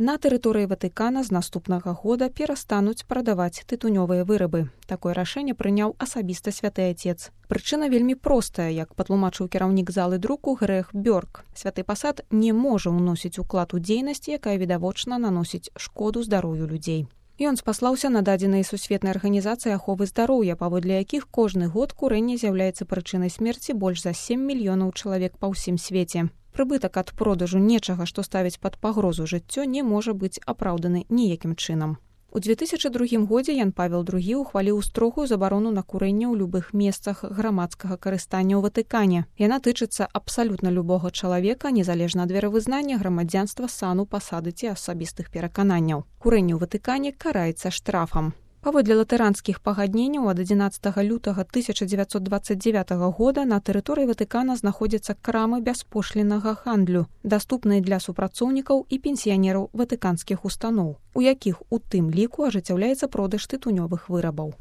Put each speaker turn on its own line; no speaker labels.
На тэрыторыі Ватыкана з наступнага года перастануць прадаваць тытунёвыя вырабы. Такое рашэнне прыняў асабіста святы Отец. Прычына вельмі простая, як патлумачыў кіраўнік залы друку Грэх Бёрк. Святы пасад не можа ўносіць уклад у дзейнасць, якая відавочна наносіць шкоду здароўю людзей. Ён спаслаўся на дадзеныя сусветнай арганізацыі аховы здароўя, паводле якіх кожны год курэнне з'яўляецца прычынай смерці больш за 7 мільёнаў чалавек па ўсім свеце. Прыбытак ад продажу нечага, што ставіць пад пагрозу жыццё, не можа быць апраўданы ніякім чынам. У 2002 годзе Ян Павел II ухваліў строгую забарону на курэнне ў любых месцах грамадскага карыстання ў Ватыкане. Яна тычыцца абсалютна любога чалавека, незалежна ад веравызнання, грамадзянства, сану, пасады ці асабістых перакананняў. Курэнне ў Ватыкане караецца штрафам. Паводле латаранскіх пагадненняў ад 11 лютага 1929 года на тэрыторыі Ватыкана знаходзяцца крамы бяспошліннага гандлю, даступныя для супрацоўнікаў і пенсіянераў ватыканскіх устаноў, у якіх у тым ліку ажыццяўляецца продаж тытунёвых вырабаў.